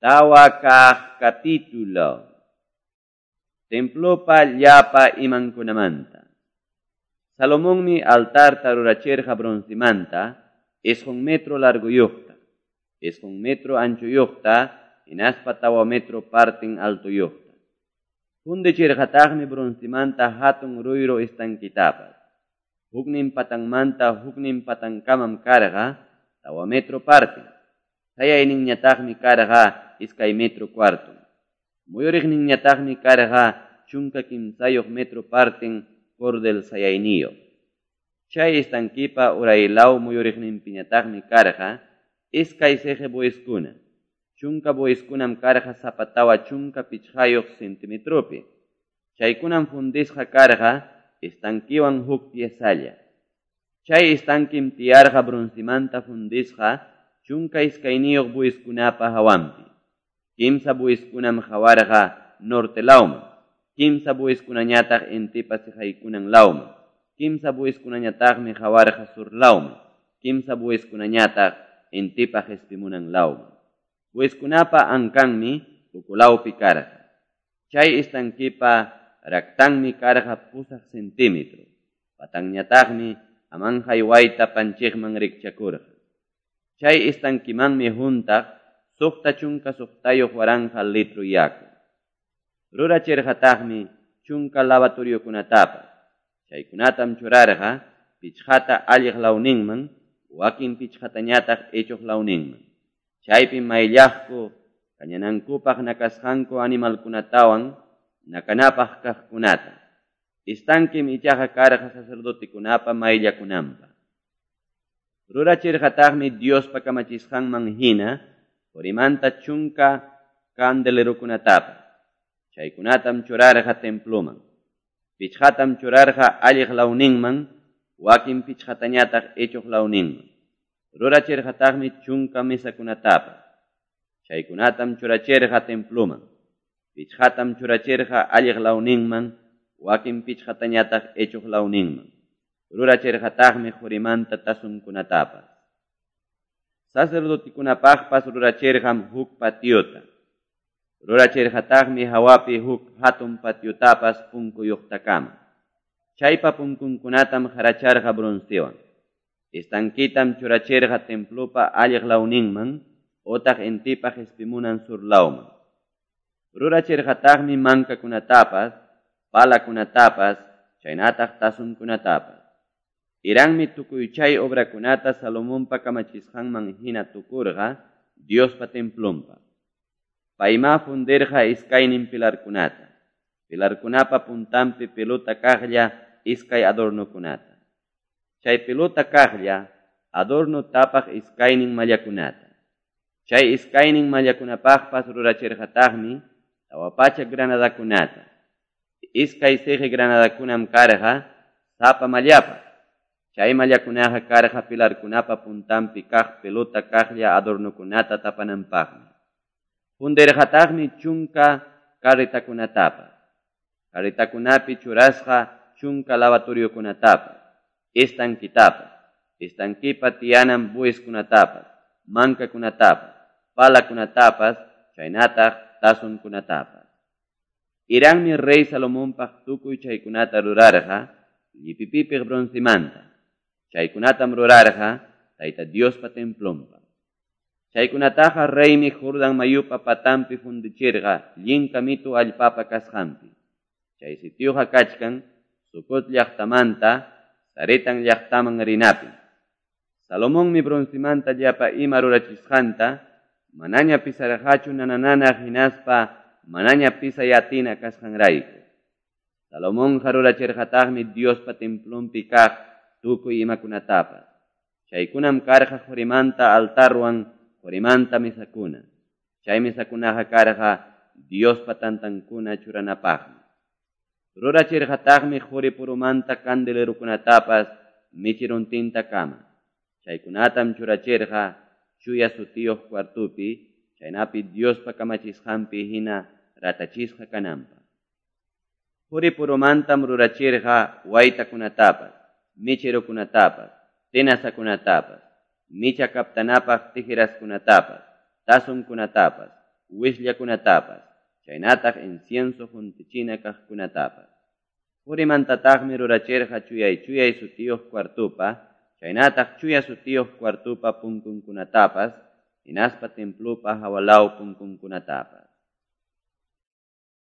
Tawa kaq capítulo. Templopa llapa imankunamanta. Salomonmi altarta rurachirqa broncemanta, 9 metro largoyuqta, 9 metro anchoyuqta, hinaspa 4 metro parten altoyuqta. Fundichirqataqmi broncemanta hatun ruyru estanquetapas. Huknin patanmanta huknin patankamam karqa 4 metro parten. Sayayninñataqmi karqa 2 metro cuarton. Muyuriqninñataqmi karqa 13 metro parten cordel sayayniyuq. Chay estanquepa uraylaw muyuriqninpiñataqmi karqa iskay siqi bueyeskuna. 10 bueyeskunam karqa sapa 45 centimetropi. Chaykunam fundisqa karqa estanquewan huk piezalla. Chay estanquem tiyarqa broncemanta fundisqa 12 bueyeskunapa hawanpi. 3 bueyeskunam qawarqa norte lawman, 3 bueyeskunañataq intipa siqaykunan lawman, 3 bueyeskunañataqmi qawarqa sur lawman, 3 bueyeskunañataq intipa qispimunan lawman. Bueyeskunapa ankanmi ukulawpi karqa. Chay estanquepa raktanmi karqa 8 centímetro. Patanñataqmi amanhay wayta panchiqman rikchakurqa. Chay estanquemanmi huntaq 66,000 litro yaku. Rurachirqataqmi 10 lavatoriokunatapas. Chaykunatam churarqa 5ta alliq lawninman, wakin 5tañataq ichuq lawninman. Chaypim mayllaqku kañanankupaq nakasqanku animalkunatawan nakanapaq kaqkunata. Estanquem ichaqa karqa sacerdotekunapa mayllakunanpaq. Rurachirqataqmi Diospa kamachisqanman hina qorimanta 10 candelerokunatapas. Chaykunatam churarqa temploman. 5tam churarqa alliq lawninman, wakin 5tañataq ichuq lawninman. Rurachirqataqmi 10 mesakunatapas. Chaykunatam churachirqa temploman. 5tam churachirqa alliq lawninman, wakin 5tañataq ichuq lawninman. Rurachirqataqmi qorimanta tazonkunatapas. Sacerdotekunapaqpas rurachirqam huk patiota. Rurachirqataqmi hawapi huk hatun patiotapas punkuyuqtakama. Chaypa punkunkunatam qaracharqa broncewan. Estanquetam churachirqa templopa alliq lawninman otaq intipa qispimunan sur lawman. Rurachirqataqmi mankakunatapas, palakunatapas, chaynataq tazonkunatapas. Hirammi tukuy chay obrakunata Salomonpa kamachisqanman hina tukurqa Diospa templonpa. Paymá fundirqa iskaynin pilarkunata. Pilarkunapa puntanpi pelota kaqlla iskay adornokunata. Chay pelota kaqlla adorno tapaq iskaynin mallakunata. Chay iskaynin mallakunapaqpas rurachirqataqmi 400 granadakunata. 2 siqi granadakunam karqa sapa mallapaq. Chay mallakunaqa karqa pilarkunapa puntanpi kaq pelota kaqlla adornokunata tapananpaqmi. Fundirqataqmi 10 carretakunatapas. Carretakunapi churasqa 10 lavatoriokunatapas, estanquetapas, estanquepa tiyanan bueyeskunatapas, mankakunatapas, palakunatapas, chaynataq tazonkunatapas. Hirammi rey Salomonpaq tukuy chaykunata rurarqa llipipipiq broncemanta. Chaykunatam rurarqa Tayta Diospa templonpa. Chaykunataqa reymi Jordán mayupa patanpi fundichirqa llinka mitu allpapa kasqanpi. Chay sitioqa kachkan Sucot llaqtamanta Zaretán llaqtaman rinapi. Salomonmi broncemanta llapa ima rurachisqanta manaña pisarqachu nanananaq hinaspa manaña pisay atina kasqanrayku. Salomonqa rurachirqataqmi Diospa templonpi kaq tukuy imakunatapas. Chaykunam karqa qorimanta altarwan qorimanta mesakuna. Chay mesakunaqa karqa Diospa tantankuna churanapaqmi. Rurachirqataqmi qori purumanta candelerokunatapas mecherontintakama. Chaykunatam churachirqa chuya sutiyuq cuartopi, chaynapi Diospa kamachisqanpi hina ratachisqa kananpaq. Qori purumantam rurachirqa waytakunatapas, mecherokunatapas, tenazakunatapas, micha kaptanapaq tijeraskunatapas, tazonkunatapas, wisllakunatapas chaynataq incienso qontichina kaqkunatapas. Qorimantataqmi rurachirqa Chuyay-chuyay sutiyoq cuartopa chaynataq Chuya sutiyoq cuartopa punkunkunatapas hinaspa templopa hawa law punkunkunatapas.